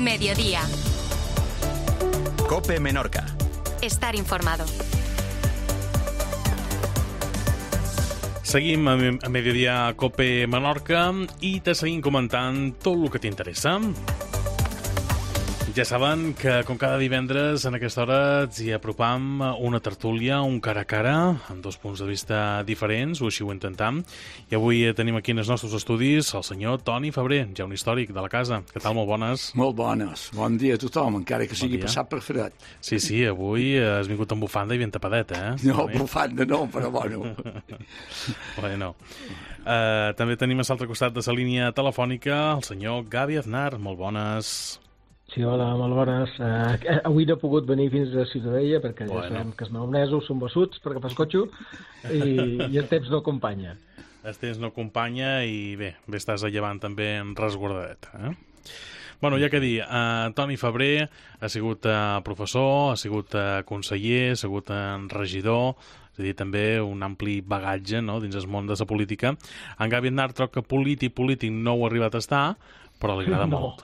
Mediodía. COPE Menorca. Estar informado. Seguim a Mediodía COPE Menorca i te seguim comentant tot el que t'interessa. Ja saben que, com cada divendres, en aquesta hora ens hi apropam una tertúlia, un cara a cara, amb dos punts de vista diferents, o així ho intentam. I avui tenim aquí en els nostres estudis el senyor Toni Febrer, ja un històric de la casa. Què tal? Molt bones. Molt bones. Bon dia a tothom, encara que sigui passat per fred. Sí, avui has vingut amb bufanda i ben tapadet, eh? No, bufanda no, però bueno. Bueno. També tenim a l'altre costat de la línia telefònica el senyor Gavi Aznar. Molt bones. Sí, hola, molt bones. Avui no he pogut venir fins a Ciutadella perquè ja sabem que els maonesos són bessuts per agafar el cotxe i el temps no acompanya. El temps no acompanya i bé estàs a llevant també resguardadet. Bueno, ja que dir, Toni Febrer ha sigut professor, ha sigut conseller, ha sigut regidor, és a dir, també un ampli bagatge, no?, dins el món de la política. En Gavi Aznar troc que polític no ho ha arribat a estar, però li agrada molt.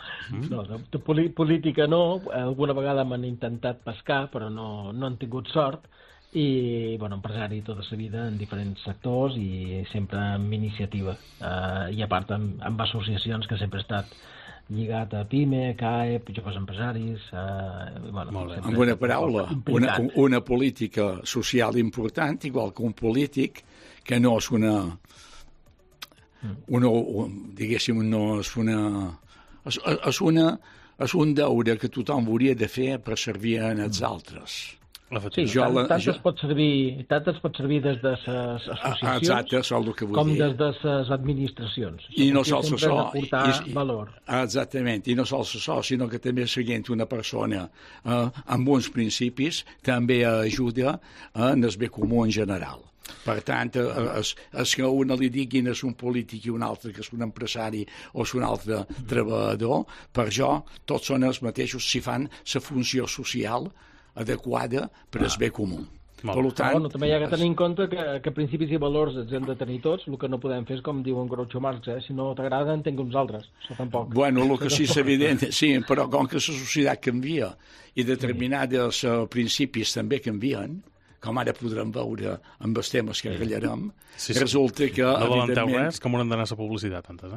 No, de política no. Alguna vegada m'han intentat pescar, però no han tingut sort. I, bueno, empresari tota la vida en diferents sectors i sempre amb iniciativa. I a part amb associacions que sempre he estat lligat a PIME, CAEP, joves empresaris... Amb una paraula, una política social important, igual que un polític que no és és un deure que tothom hauria de fer per servir als altres. Sí, tant es pot servir des de les associacions com des de les administracions. I no sols això. Valor. Exactament, i no sols això, sinó que també seguint una persona amb uns principis també ajuda en el bé comú en general. Per tant, és que a una li diguin és un polític i un altre que és un empresari o és un altre treballador, per jo tots són els mateixos si fan la funció social adequada per al bé comú. Per tant, també hi ha que tenir en compte que principis i valors els hem de tenir tots. El que no podem fer és com diu en Groucho Marx, si no t'agrada en tinc uns altres. Això tampoc. Bueno, el que sí és evident, sí, però com que la societat canvia i determinats principis també canvien, com ara podrem veure amb els temes que ratllarem, resulta que... No valenteu res, que m'haurem d'anar a la publicitat, antes,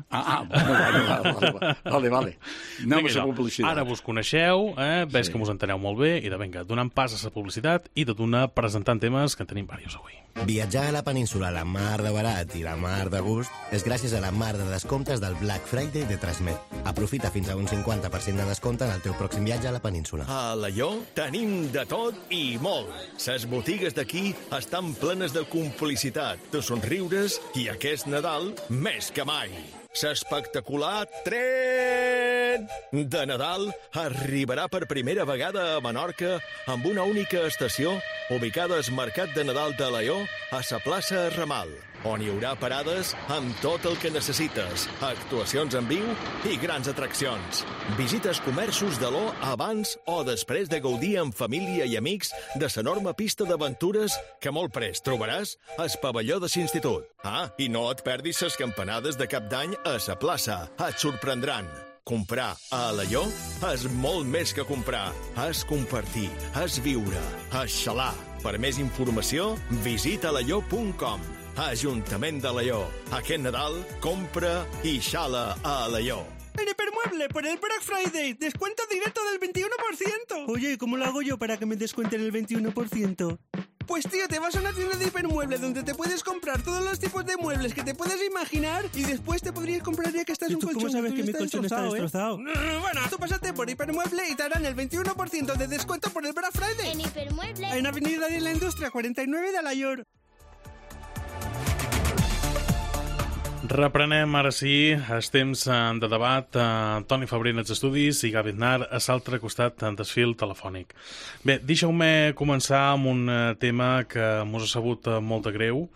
Vale. Anem a la publicitat. Ara vos coneixeu, veig que us enteneu molt bé, i donant pas a la publicitat i de donar presentant temes que en tenim diversos avui. Viatjar a la península a la mar de barat i la mar de gust és gràcies a la mar de descomptes del Black Friday de Transmet. Aprofita fins a un 50% de descompte en el teu pròxim viatge a la península. A Alaior tenim de tot i molt. Ses botigues d'aquí estan plenes de complicitat, de somriures i aquest Nadal més que mai. L'espectacular tren de Nadal arribarà per primera vegada a Menorca amb una única estació ubicada al Mercat de Nadal de Alaior a la plaça Ramal, on hi haurà parades amb tot el que necessites, actuacions en viu i grans atraccions. Visites comerços d'Alaior abans o després de gaudir amb família i amics de l'enorme pista d'aventures que molt prest trobaràs al pavelló de l'institut. I no et perdis les campanades de cap d'any a la plaça. Et sorprendran. Comprar a Alaior és molt més que comprar. És compartir, és viure, és xalar. Per més informació, visita alaior.com. Ajuntament d'Alaior. Aquest Nadal, compra i xala a Alaior. En Hipermueble, por el Black Friday, descuento directo del 21%. Oye, ¿cómo lo hago yo para que me descuenten el 21%? Pues tío, te vas a una tienda de Hipermueble donde te puedes comprar todos los tipos de muebles que te puedes imaginar y después te podrías comprar ya que estás un colchón. ¿Cómo sabes que mi colchón está destrozado? Bueno, tú pásate por Hipermueble y te harán el 21% de descuento por el Black Friday. En Hipermueble. En Avenida de la Industria 49 de Alaior. Reprenem ara sí els temps de debat. Toni Febrer en els estudis i Gavi Aznar a l'altre costat del fil telefònic. Bé, deixeu-me començar amb un tema que mos ha sabut molt de greu.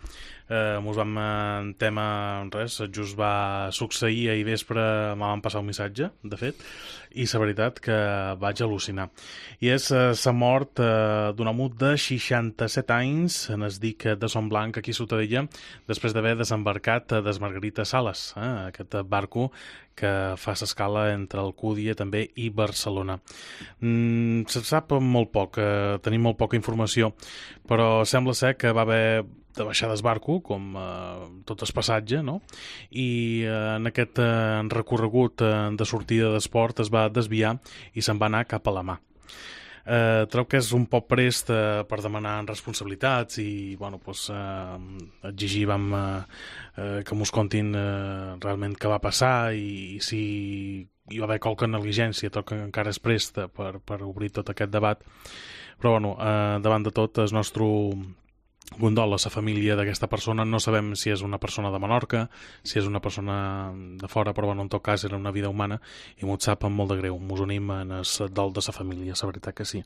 mos vam en tema res, just va succeir ahir vespre, me van passar un missatge, de fet, i la veritat que vaig al·lucinar. I és la mort d'un home de 67 anys, en es dic de Son Blanc, aquí a Ciutadella, després d'haver desembarcat des Margarita Sales, aquest barco que fa l'escala entre Alcúdia també i Barcelona. Se sap molt poc, tenim molt poca informació, però sembla ser que va haver de baixar del barco, com tot el passatge, no? I en aquest recorregut de sortida d'esport es va desviar i se'n va anar cap a la mà. Trobo que és un poc prest per demanar responsabilitats i bueno, pues, exigir que mos contin realment què va passar i si hi va haver qualque negligència, tot que encara és prest per obrir tot aquest debat. Però bueno, davant de tot, el nostre condol a la família d'aquesta persona. No sabem si és una persona de Menorca, si és una persona de fora, però bueno, en tot cas era una vida humana i m'ho sap amb molt de greu. Mos unim en el dol de la família, la veritat que sí.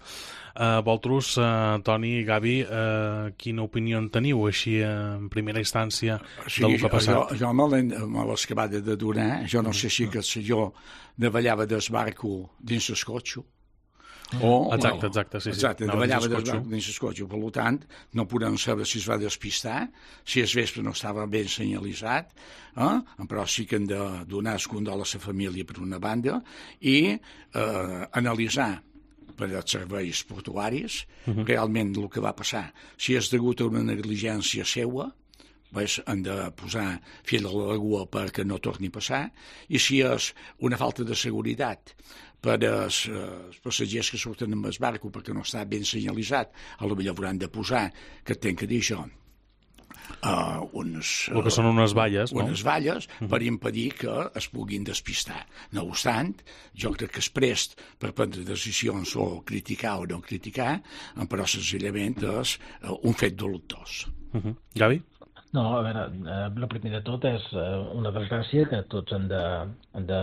Vosaltres, Toni i Gavi, quina opinió en teniu així en primera instància del que ha passat? Jo me l'he acabat de donar. Jo no sé si que jo davallava del barco dins el cotxe. Exacte, sí. Exacte, davallava del barco dins el cotxe. Per tant, no podem saber si es va despistar, si el vespre no estava ben senyalitzat, però sí que hem de donar el condol a la família per una banda i analitzar per als serveis portuaris realment el que va passar. Si és degut a una negligència seua, han de posar fil a l'aigua perquè no torni a passar, i si és una falta de seguretat per als passatgers que surten amb el barco perquè no està ben senyalitzat, potser hauran de posar, que tenc que dir això, el que són unes valles, no? Unes valles per impedir que es puguin despistar. No obstant, jo crec que és prest per prendre decisions o criticar o no criticar, però senzillament és un fet dolentós. Gavi? No, a veure, el primer de tot és una desgràcia que tots han de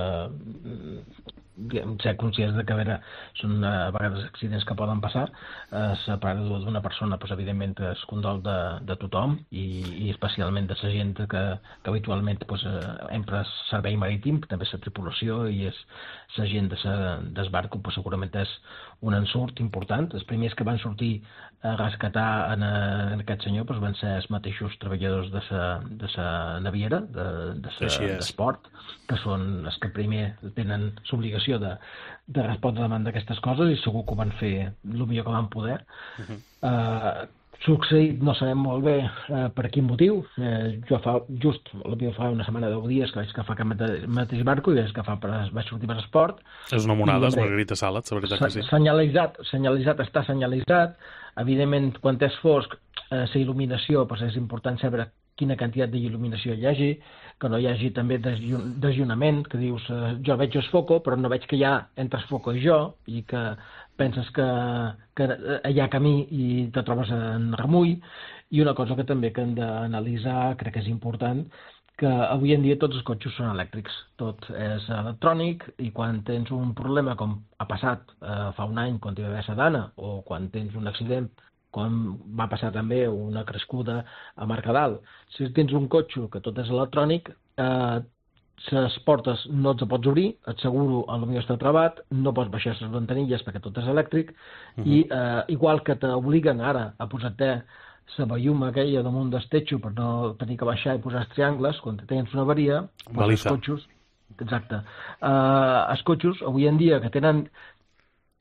ser conscients de que, a veure, són a vegades accidents que poden passar. La pèrdua d'una persona, doncs, evidentment, és condol de tothom i especialment de la gent que habitualment empra servei marítim, també la tripulació i és la gent del barco, segurament és un ensurt important. Els primers que van sortir a rescatar en aquest senyor van ser els mateixos treballadors de la naviera, d'esport, que són els que primer tenen l'obligació de respondre davant d'aquestes coses i segur que ho van fer el millor que van poder. Succeït, no sabem molt bé per quin motiu. Jo fa una setmana, 10 dies que vaig agafar aquest mateix barco i vaig sortir per esport. És una monada, és Margarita Sales, la veritat que sí. Senyalitzat, està senyalitzat. Evidentment, quan és fosc, la il·luminació, és important saber quina quantitat d'il·luminació hi hagi, que no hi hagi també desllunament, que dius, jo veig el foco, però no veig que hi ha entre el foco i jo, i que penses que hi ha camí i te trobes en remull. I una cosa que també que hem d'analitzar, crec que és important, que avui en dia tots els cotxes són elèctrics, tot és electrònic, i quan tens un problema com ha passat fa un any quan hi va haver Sedana, o quan tens un accident, com va passar també una crescuda a Mercadal, si tens un cotxe que tot és electrònic, les portes no et pots obrir, et seguro potser està travat, no pots baixar les ventanilles perquè tot és elèctric, i igual que t'obliguen ara a posar-te la velluma aquella damunt del techo per no tenir que baixar i posar els triangles, quan tens una avaria, els cotxes, exacte, els cotxes avui en dia que tenen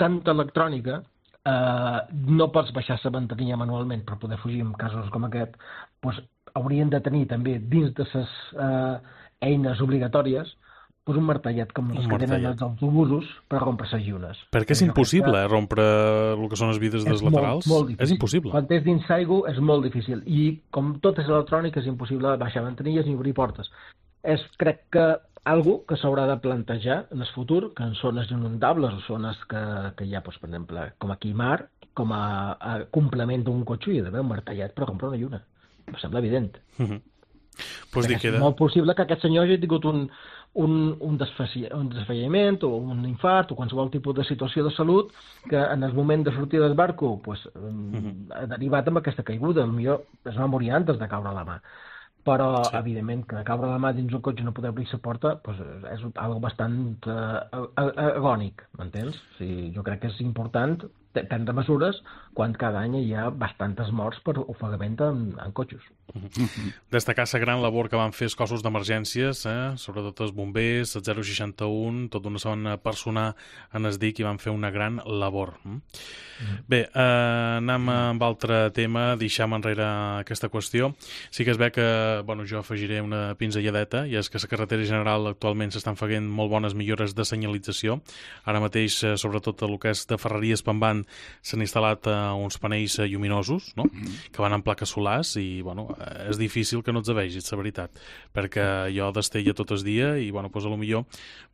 tanta electrònica, no pots baixar la ventanilla manualment per poder fugir en casos com aquest, haurien de tenir també dins de les eines obligatòries un martellet com els que tenen els autobusos per rompre les llunes. Perquè és impossible rompre el que són les vides dels laterals? És impossible. Quan és dins aigua és molt difícil i com tot és electrònic és impossible baixar ventanilles ni obrir portes. És, crec que, algo que s'haurà de plantejar en el futur, que en zones inundables o zones que hi ha, per exemple, com aquí mar, com a complement d'un cotxe hi ha d'haver un martellet per rompre una lluna. Em sembla evident. És molt possible que aquest senyor hagi tingut un desfalliment o un infart o qualsevol tipus de situació de salut que en el moment de sortir del barco ha derivat amb aquesta caiguda. Potser es va morir antes de caure a la mà. però, evidentment, que caure la mà dins un cotxe i no poder obrir la porta és algo bastant agònic, m'entens? O sigui, jo crec que és important prendre mesures quan cada any hi ha bastantes morts per ofegament en cotxes. Destacar la gran labor que van fer els cossos d'emergències, sobretot els bombers, el 061, tota una zona personal en es DIC, i van fer una gran labor. Bé, anem amb altre tema, deixem enrere aquesta qüestió. Sí que es ve que, jo afegiré una pinzelladeta, i és que a la carretera general actualment s'estan fent molt bones millores de senyalització. Ara mateix, sobretot el que és de Ferreries Pambant, s'han instal·lat uns panells lluminosos, no? Que van amb plaques solars, i és difícil que no els vegis, la veritat, perquè jo d'estella tot el dia, i potser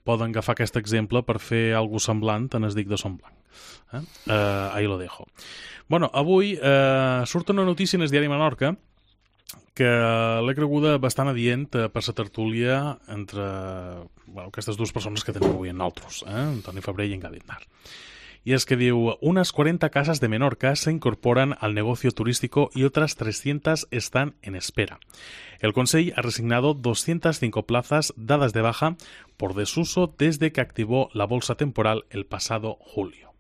poden agafar aquest exemple per fer alguna cosa semblant en es DIC de Son Blanc. Ahí lo dejo. Avui surt una notícia en el diari Menorca que l'he creguda bastant adient per la tertúlia entre aquestes dues persones que tenim avui en nosaltres, Antoni Febrer y Engadin Nar. Y es que diu, unas 40 casas de Menorca se incorporan al negocio turístico y otras 300 están en espera. El Consell ha resignado 205 plazas dadas de baja por desuso desde que activó la bolsa temporal el pasado julio.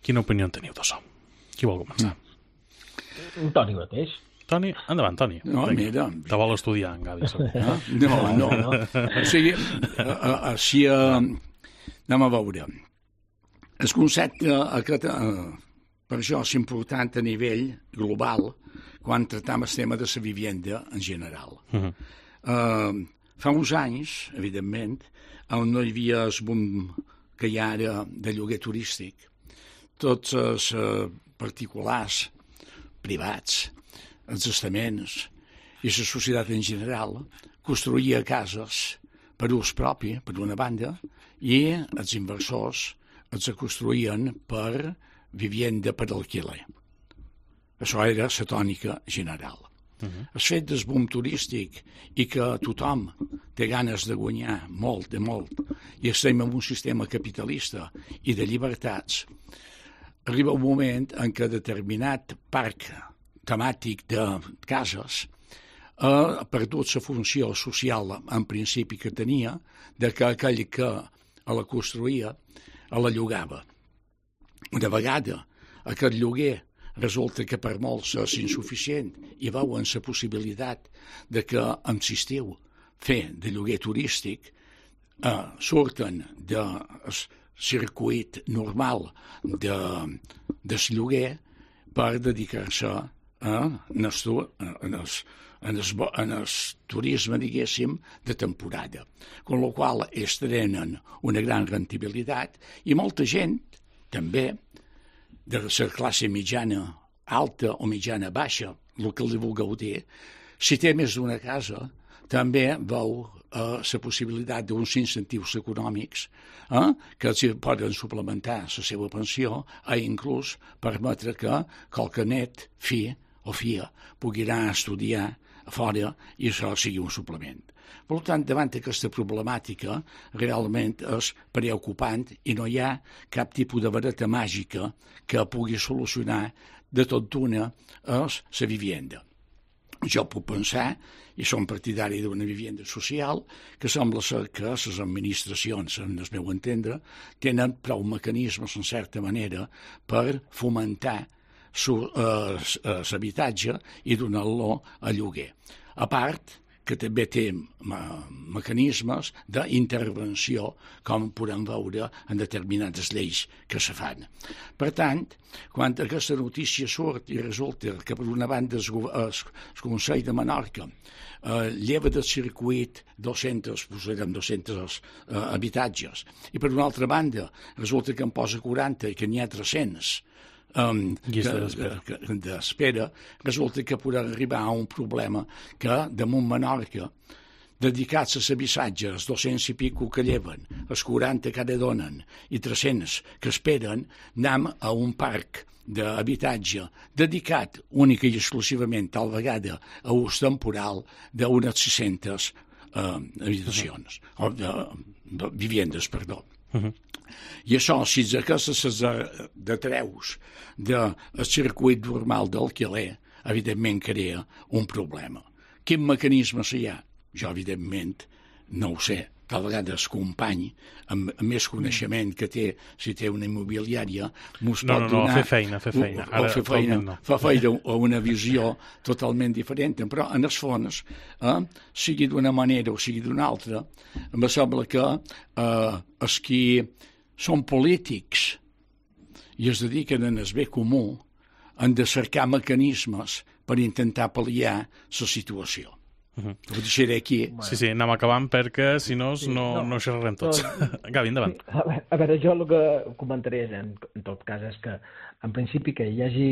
Quina opinió teniu d'això? Qui vol començar? Toni mateix. Toni? Endavant, Toni. No, mira... Te vol estudiar, en Gavi. No. O sigui, així anem a veure. El concepte per això és important a nivell global quan tractem el tema de la vivenda en general. Fa uns anys, evidentment, on no hi havia el boom que hi ha ara de lloguer turístic, tots els particulars, privats, els estaments i la societat en general construïa cases per ús propi, per una banda, i els inversors els construïen per vivenda per alquiler. Això era la tònica general. El fet del boom turístic i que tothom té ganes de guanyar molt, i estem en un sistema capitalista i de llibertats, arriba un moment en què determinat parc temàtic de cases ha perdut la funció social en principi que tenia, de que aquell que la construïa la llogava. Una vegada aquest lloguer resulta que per molts és insuficient i veuen la possibilitat de que amb l'estiu fer de lloguer turístic surten del circuit normal del lloguer per dedicar-se en el turisme, diguéssim, de temporada. Con la qual ells tenen una gran rendibilitat i molta gent, també, de la classe mitjana alta o mitjana baixa, el que li vulgueu dir, si té més d'una casa, també veu la possibilitat d'uns incentius econòmics que els poden suplementar la seva pensió i inclús permetre que qualque net, fi o filla, pugui anar a estudiar a fora i això sigui un suplement. Per tant, davant d'aquesta problemàtica, realment és preocupant i no hi ha cap tipus de vareta màgica que pugui solucionar de tot d'una la vivenda. Jo puc pensar, i som partidari d'una vivenda social, que sembla ser que les administracions, en el meu entendre, tenen prou mecanismes, en certa manera, per fomentar l'habitatge i donar-lo a lloguer. A part que també té mecanismes d'intervenció, com podem veure en determinades lleis que se fan. Per tant, quan aquesta notícia surt i resulta que per una banda el Consell de Menorca lleva del circuit 200 habitatges i per una altra banda resulta que en posa 40 i que n'hi ha 300 d'espera, resulta que podrà arribar a un problema que damunt Menorca, dedicats a l'habitatge, els 200 i pico que lleven, els 40 que ara donen i 300 que esperen, anem a un parc d'habitatge dedicat única i exclusivament tal vegada a ús temporal d'unes 600 habitacions, o viviendes, perdó. I això, si aquestes detreus del circuit normal d'alquiler, evidentment crea un problema, Quin mecanismes hi ha? Jo, evidentment, no ho sé. Tal vegada el company amb més coneixement que té, si té una immobiliària, mos pot donar... fer feina. Fer feina, fa feina a una visió totalment diferent, però en el fons, sigui d'una manera o sigui d'una altra, em sembla que els qui són polítics i es dediquen en el bé comú han de cercar mecanismes per intentar pal·liar la situació. Ho deixaré aquí. Sí, anem acabant perquè si no xerrarem tots. Gavi, endavant. A veure, jo el que comentaré en tot cas és que en principi que hi hagi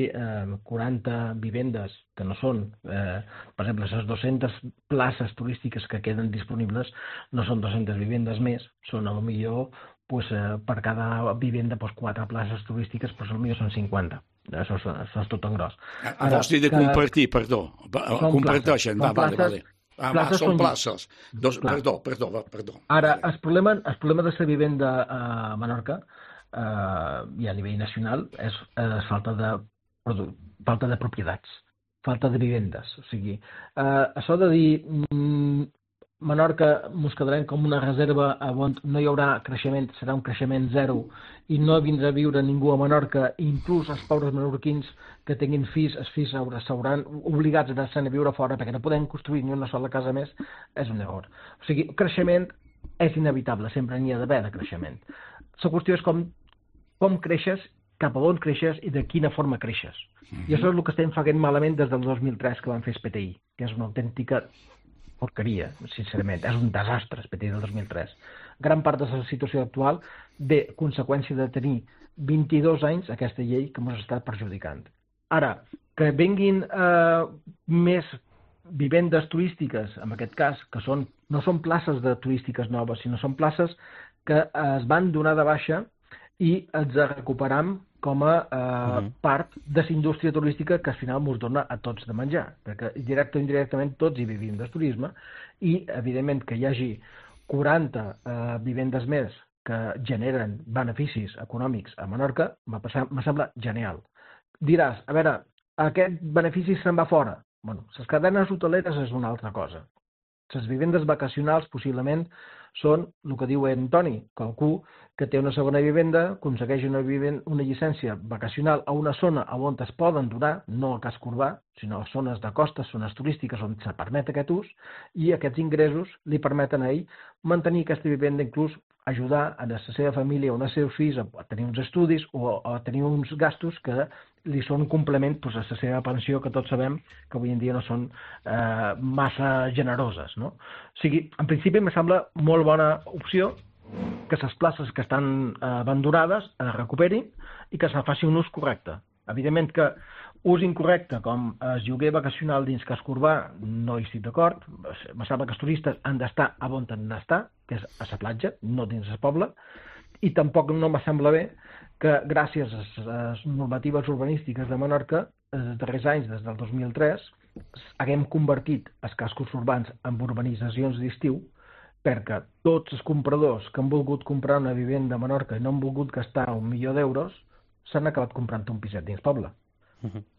40 vivendes que no són, per exemple, les 200 places turístiques que queden disponibles no són 200 vivendes més, són a lo millor per cada vivenda 4 places turístiques, però a lo millor són 50. Això és tot en gros. Vols dir de compartir, perdó. Comparteixen, vale. Són places. Perdó. Ara, el problema de la vivenda a Menorca i a nivell nacional és falta de propietats, falta de vivendes. O sigui, això de dir Menorca mos quedarem com una reserva on no hi haurà creixement, serà un creixement zero i no vindrà a viure ningú a Menorca, inclús els pobres menorquins que tinguin fills, els fills s'hauran obligats a anar-se'n a viure fora perquè no podem construir ni una sola casa més, és un error. O sigui, creixement és inevitable, sempre n'hi ha d'haver de creixement. La qüestió és com creixes, cap a on creixes i de quina forma creixes. I això és el que estem fent malament des del 2003 que van fer el PTI, que és una autèntica porqueria, sincerament. És un desastre, el PTI del 2003. Gran part de la situació actual ve conseqüència de tenir 22 anys aquesta llei que ens està perjudicant. Ara, que vinguin més vivendes turístiques, en aquest cas, que no són places de turístiques noves, sinó són places que es van donar de baixa i els recuperam com a part de la indústria turística que al final ens dona a tots de menjar, perquè directe o indirectament tots hi vivim del turisme i, evidentment, que hi hagi 40 vivendes més que generen beneficis econòmics a Menorca, me sembla genial. Diràs, a veure, aquest benefici se'n va fora. Bueno, les cadenes hoteleres és una altra cosa. Les vivendes vacacionals possiblement són el que diu en Toni, qualcú que té una segona vivenda, aconsegueix una llicència vacacional a una zona on es poden donar, no al casc urbà, sinó a zones de costa, zones turístiques on se permet aquest ús, i aquests ingressos li permeten a ell mantenir aquesta vivenda, inclús ajudar a la seva família o als seus fills a tenir uns estudis o a tenir uns gastos que li són un complement a la seva pensió, que tots sabem que avui en dia no són massa generoses. No? O sigui, en principi em sembla molt bona opció que les places que estan abandonades es recuperin i que se faci un ús correcte. Evidentment que ús incorrecte com el lloguer vacacional dins casc urbà no hi estic d'acord. Me sembla que els turistes han d'estar on han d'estar, que és a la platja, no dins el poble, i tampoc no me sembla bé que gràcies a les normatives urbanístiques de Menorca, els darrers anys, des del 2003, haguem convertit els cascos urbans en urbanitzacions d'estiu perquè tots els compradors que han volgut comprar una vivenda a Menorca i no han volgut gastar $1.000.000 s'han acabat comprant un piset dins poble.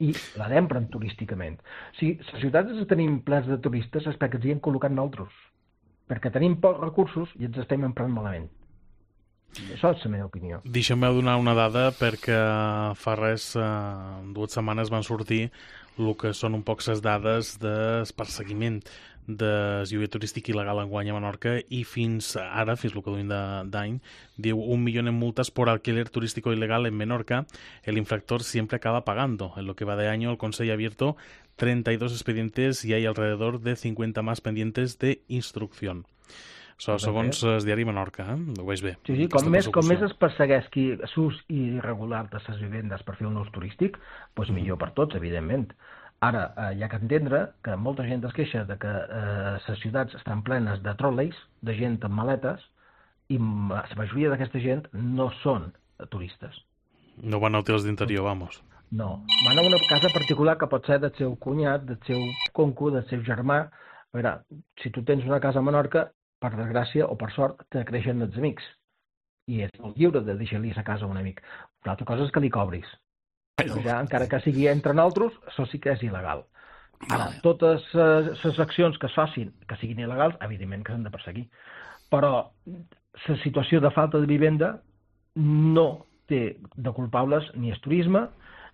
I l'empren turísticament. O sigui, les ciutats que tenim plens de turistes és perquè ens hi hem col·locat nosaltres. Perquè tenim pocs recursos i ens estem emprant malament. Això és la meva opinió. Deixa'm donar una dada perquè fa res, 2 setmanes van sortir el que són un poc les dades del perseguiment de lloguer turístic il·legal enguany a Menorca i fins ara, fins el que duim d'any, diu 1 millón en multas por alquiler turístico ilegal en Menorca. El infractor siempre acaba pagando. En lo que va de año, el Consejo ha abierto 32 expedientes y hay alrededor de 50 más pendientes de instrucción. Això segons el diari Menorca, ho veig bé. Sí, com més es persegueix l'ús irregular de les vivendes per fer un ús turístic, doncs millor per tots, evidentment. Ara, hi ha que entendre que molta gent es queixa de que les ciutats estan plenes de trolleys, de gent amb maletes, i la majoria d'aquesta gent no són turistes. No van a hotels d'interior, vamos. No, van a una casa particular que pot ser del seu cunyat, del seu concu, del seu germà. A veure, si tu tens una casa a Menorca, per desgràcia o per sort, te creixen els amics. I és lliure de deixar-li la casa a un amic. Una altra cosa és que li cobris. Ja, encara que sigui entre nosaltres, això sí que és il·legal. Ara, totes les accions que es facin, que siguin il·legals, evidentment que s'han de perseguir. Però la situació de falta de vivenda no té de culpables ni el turisme,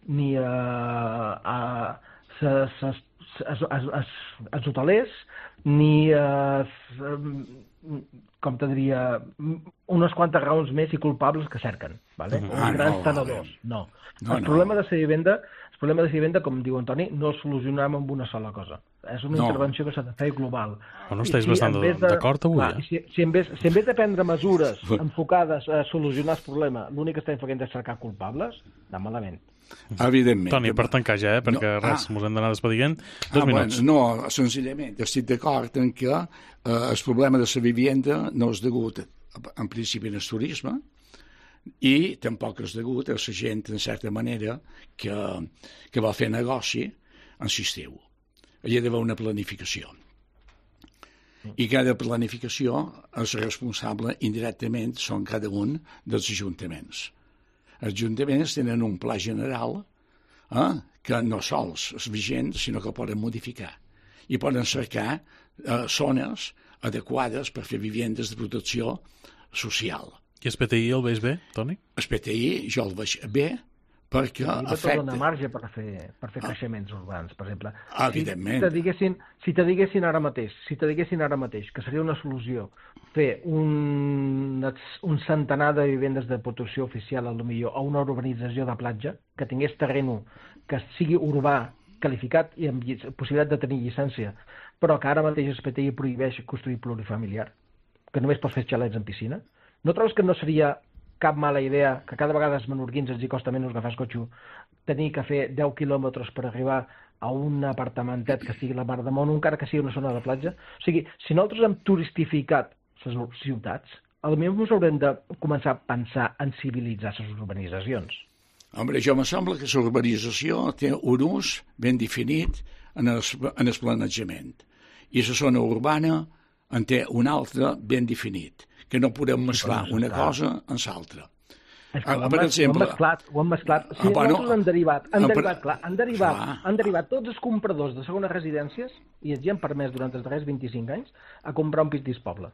ni els hotelers, ni com te diria, unes quantes raons més i culpables que cerquen, ¿vale? Els grans tenedors, no. El problema de la vivenda, com diu Antoni, no el solucionem amb una sola cosa. És una intervenció que s'ha de fer global. Bueno, estàs bastant d'acord avui, Si en vez de prendre mesures enfocades a solucionar el problema, l'únic que estem fent és cercar culpables, anem malament. Evidentment. Toni, per tancar ja, perquè res, mos hem d'anar despedint. 2 minuts. No, senzillament, estic d'acord en que el problema de la vivenda no és degut, en principi, al turisme, i tampoc és degut a la gent, en certa manera, que va fer negoci en l'estiu. Hi ha d'haver una planificació. I cada planificació és responsable indirectament, són cada un dels ajuntaments. Els ajuntaments tenen un pla general que no sols és vigent, sinó que poden modificar. I poden cercar zones adequades per fer vivendes de protecció social. I el PTI el veus bé, Toni? El PTI jo el veig bé perquè afecta... Dona marge per fer creixements urbans, per exemple. Evidentment. Si te diguessin ara mateix que seria una solució fer un centenar de vivendes de protecció oficial, potser a una urbanització de platja, que tingués terreno, que sigui urbà, qualificat i amb possibilitat de tenir llicència, però que ara mateix el PTI prohibeix construir plurifamiliar, que només pots fer xalets en piscina, no trobes que no seria cap mala idea que cada vegada els menorquins els hi costa menys agafar el cotxe, tenir que fer 10 quilòmetres per arribar a un apartamentet que estigui a la mar de món, encara que sigui una zona de platja? O sigui, si nosaltres hem turistificat les ciutats, potser ens haurem de començar a pensar en civilitzar les urbanitzacions. Home, jo me sembla que la urbanització té un ús ben definit en el planejament. I la zona urbana en té un altre ben definit, que no podem mesclar una cosa amb l'altra. Per exemple, ho han mesclat. Si nosaltres han derivat tots els compradors de segones residències i els han permès durant els darrers 25 anys a comprar un pis dins poble.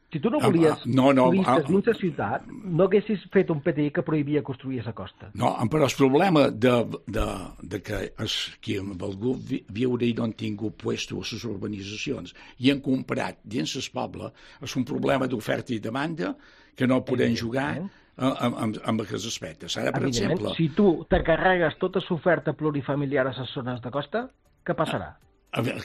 Si tu no volies turistes dins la ciutat, no haguessis fet un PTI que prohibia construir a la costa. No, però el problema de que els que han volgut viure i no han tingut puesto a les urbanitzacions i han comprat dins el poble és un problema d'oferta i demanda que no podem jugar amb aquests aspectes. Ara, per exemple... Si tu te carregues tota l'oferta plurifamiliar a les zones de costa, què passarà?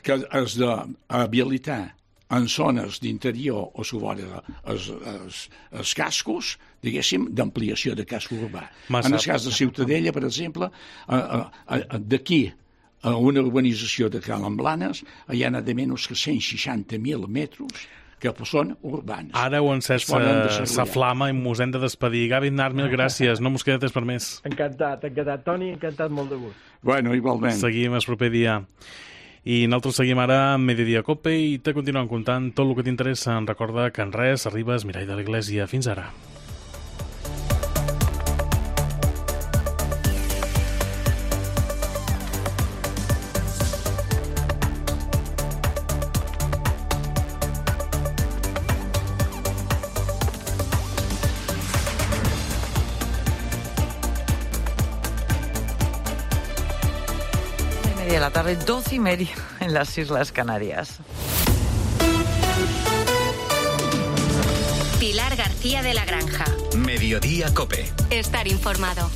Que has d'habilitar en zones d'interior o sobre els cascos, diguéssim, d'ampliació de casco urbà. En el cas de Ciutadella, per exemple, d'aquí a una urbanització de Calamblanes hi ha de menys que 160.000 metres que són urbans. Ara ho encès sa flama i mos hem de despedir. Gavi Aznar, mil gràcies. No mos queda temps per més. Encantat. Toni, encantat, molt de gust. Bueno, igualment. Seguim el proper dia. I nosaltres seguim ara amb Mediodía Cope i te continuem contant tot el que t'interessa. Recorda que en res arriba el mirall de l'Església. Fins ara. De la tarde, 12:30 en las Islas Canarias. Pilar García de la Granja. Mediodía Cope. Estar informado.